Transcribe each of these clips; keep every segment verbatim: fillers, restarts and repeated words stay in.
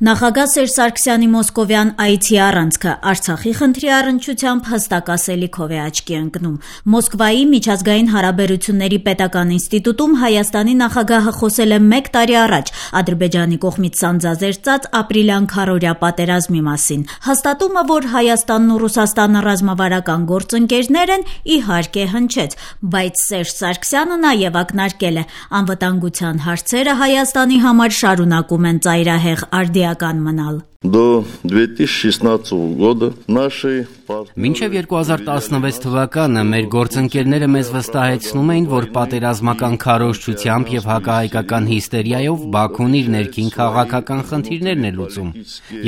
Նախագահ Սերժ Սարգսյանի մոսկովյան այցի առանցքը Արցախի խնդրի առնչությամբ հստակ ասելիքով է աչքի ընկնում։ Մոսկվայի միջազգային հարաբերությունների պետական ինստիտուտում Հայաստանի նախագահը խոսել է մեկ տարի առաջ Ադրբեջանի կողմից սանձազերծած ապրիլյան քառօրյա պատերազմի մասին։ Հաստատումը, որ Հայաստանն ու Ռուսաստանը ռազմավարական գործընկերներ են, իհարկե հնչեց, բայց Սերժ Սարգսյանը նաև ակնարկել է, անվտանգության հարցերը Հայաստանի համար շարունակում են ծայրահեղ արդիական մնալ։ До две тысячи шестнадцатого года наши Մինչև երկու հազար տասնվեց թվականը մեր գործընկերները մեզ վստահեցնում էին, որ պատերազմական քարոզչությամբ եւ հակահայկական հիստերիայով Բաքուն իր ներքին քաղաքական խնդիրներն է լուծում։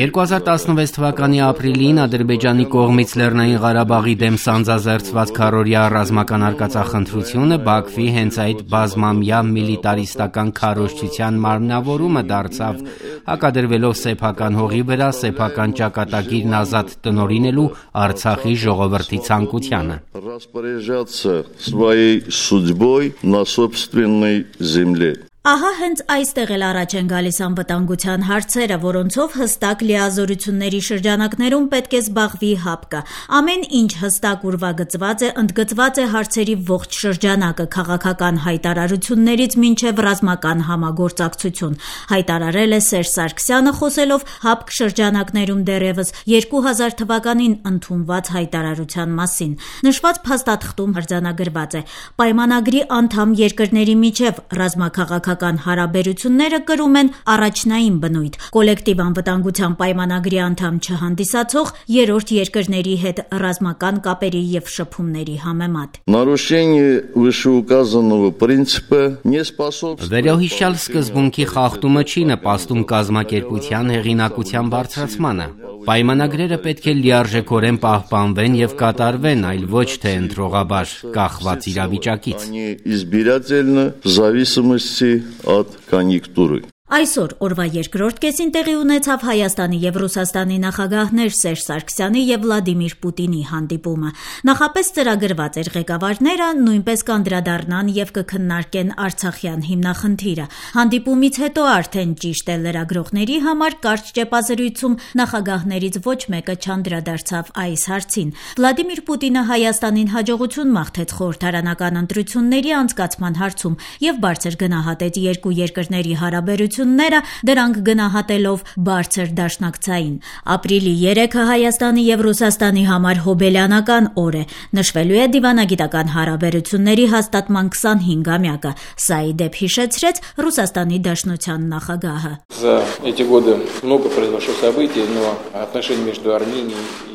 երկու հազար տասնվեց թվականի ապրիլին Ադրբեջանի կողմից Լեռնային Ղարաբաղի դեմ սանձազերծված քառօրյա ռազմական արկածախնդրությունը Բաքվի հենց այդ բազմամյա միլիտարիստական քարոզչության մարմնավորումը դարձավ, հակադրվելով սեփական հողի վրա սեփական ճակատագիրն ազատ տնօրինելու Արցախի ժողովրդի ցանկությանը։ Распоряжаться своей судьбой на собственной земле. Ահա հենց այստեղ էլ առաջ են գալիս անվտանգության հարցերը, որոնցով հստակ լիազորությունների շրջանակներում պետք է զբաղվի ՀԱՊԿ-ը։ Ամեն ինչ հստակ ուրվագծված է, ընդգծված է հարցերի ողջ շրջանակը քաղաքական հայտարարություններից մինչև ռազմական համագործակցություն, հայտարարել է Սերժ Սարգսյանը խոսելով ՀԱՊԿ շրջանակներում դեռևս երկու հազար թվականին ընդունված հայտարարության մասին։ Նշված փաստաթղթում արձանագրված է. պայմանագրի անդամ երկրների միջև ռազմաքաղաքական հարաբերությունները կրում են առաջնային բնույթ, կոլեկտիվ անվտանգության պայմանագրի անդամ չհանդիսացող երրորդ երկրների հետ ռազմական կապերի եւ շփումների համեմատ։ Нарушение вышеуказанного принципа не способствует Վերոհիշյալ սկզբունքի խախտումը չի նպաստում կազմակերպության հեղինակության բարձրացմանը։ Պայմանագրերը պետք է լիարժեքորեն պահպանվեն եւ կատարվեն, այլ ոչ թե ընտրողաբար կախված իրավիճակից։ избирательно в зависимости от конъюнктуры. Այսօր օրվա երկրորդ կեսին տեղի ունեցավ Հայաստանի եւ Ռուսաստանի նախագահներ Սերժ Սարգսյանի եւ Վլադիմիր Պուտինի հանդիպումը։ Նախապես ծրագրված էր ղեկավարները նույնպես կանդրադառնան եւ կքննարկեն Արցախյան հիմնախնդիրը։ Հանդիպումից հետո արդեն ճիշտ է լրագրողների համար կարճ ճեպազրույցում նախագահներից ոչ մեկը չանդրադարձավ այս հարցին։ Վլադիմիր Պուտինը Հայաստանին հաջողություն մաղթեց խորհրդարանական ընտրությունների անցկացման հարցում եւ բարձր գնահատեց երկու երկրների հարաբերությունները դրանք գնահատելով բարձր դաշնակցային։ Ապրիլի երեքը Հայաստանի եւ Ռուսաստանի համար հոբելյանական օր է։ Նշվելու է դիվանագիտական հարաբերությունների հաստատման քսանհինգամյակը։ Սա ի դեպ հիշեցրեց Ռուսաստանի Դաշնության նախագահը։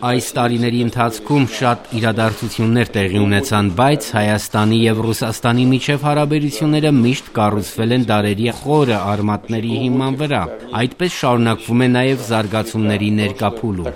Այս տարիների ընթացքում շատ իրադարձություններ տեղի ունեցան, բայց Հայաստանի եւ Ռուսաստանի միջև հարաբերությունները միշտ կառուցվել են դարերի խորը արմատների հիման վրա։ Այդպես շարունակվում է նաև զարգացումների ներկա փուլում։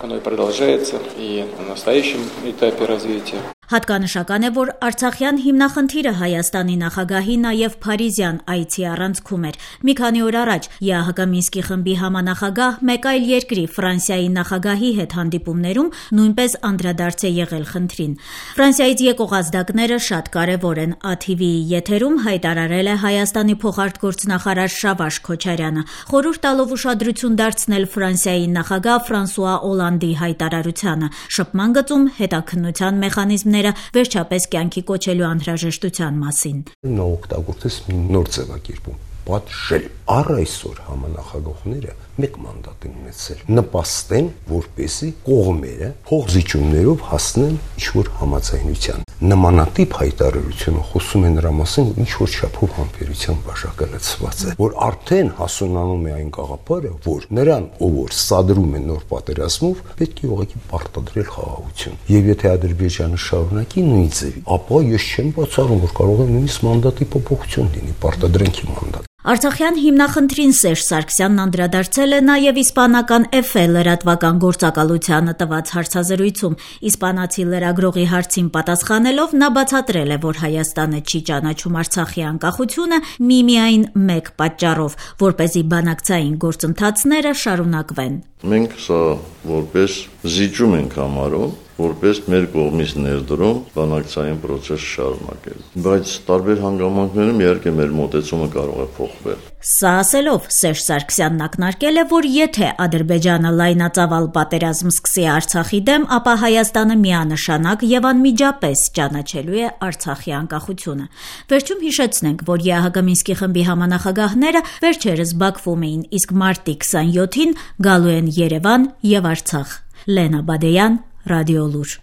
Հատկանշական է, որ Արցախյան հիմնախնդիրը Հայաստանի նախագահի նաև Փարիզյան այցի առանցքում էր։ Մի քանի օր առաջ ԵԱՀԿ Մինսկի խմբի համանախագահ մեկ այլ երկրի Ֆրանսիայի նախագահի հետ հանդիպումներում նույնպես անդրադարձ է եղել խնդրին։ Ֆրանսիայից եկող ազդակները շատ կարևոր են։ ԱԹՎ-ի եթերում հայտարարել է Հայաստանի փոխարտգործնախարար Շավարժ Քոչարյանը, խորհուրդ տալով ուշադրություն դարձնել Ֆրանսիայի նախագահ Ֆրանսուଆ Օլանդի հայտարարությանը, շփման գծում հետաքննության մեխանիզմներ վերջապես կյանքի կոչելու անհրաժեշտության մասին։ Նա օգտագործեց մի նոր ձևակերպում՝ պատժել։ Առ այսօր համանախագահները մեկ մանդատ են ունեցել՝ նպաստեն, որպեսզի կողմերը փոխզիջումներով հասնեն ինչ-որ համաձայնության։ Նմանատիպ հայտարարությունը խոսում է նրա մասին, ինչ որ չափով համբերության բաժակը լցված է, որ արդեն հասունանում է այն գաղափարը, որ նրան, ով որ սադրում է նոր պատերազմով, պետք է ուղղակի պարտադրել խաղաղություն։ Եվ եթե Ադրբեջանը շարունակի նույն ձևի, ապա ես չեմ բացառում, որ կարող է նույնիսկ մանդատի փոփոխություն լինի, պարտադրանքի մանդատ։ Արցախյան հիմնախնդրին Սերժ Սարգսյանն անդրադարձել է նաև իսպանական Էֆե լրատվական գործակալությանը տված հարցազրույցում։ Իսպանացի լրագրողի հարցին պատասխանելով նա բացատրել է, որ Հայաստանը չի ճանաչում Արցախի անկախությունը միմիայն մեկ պատճառով, որպեսզի բանակցային գործընթացները շարունակվեն։ Մենք սա որպես զիջում ենք համարում, որպես մեր կողմից ներդրում բանակցային process շարունակել։ Բայց տարբեր հանգամանքներում իհարկե մեր մոտեցումը կարող է փոխվել։ Սա ասելով Սերժ Սարգսյանն ակնարկել է, որ եթե Ադրբեջանը լայնածավալ պատերազմ սկսի Արցախի դեմ, ապա Հայաստանը միանշանակ եւ անմիջապես ճանաչելու է Արցախի անկախությունը։ Վերջում հիշեցնենք, որ ԵԱՀԿ Մինսկի խմբի համանախագահները վերջերս Բաքվում էին, իսկ մարտի քսաներկուին գալու են Երևան եւ Արցախ։ Լենա Բադեյան, Ռադիոլուր։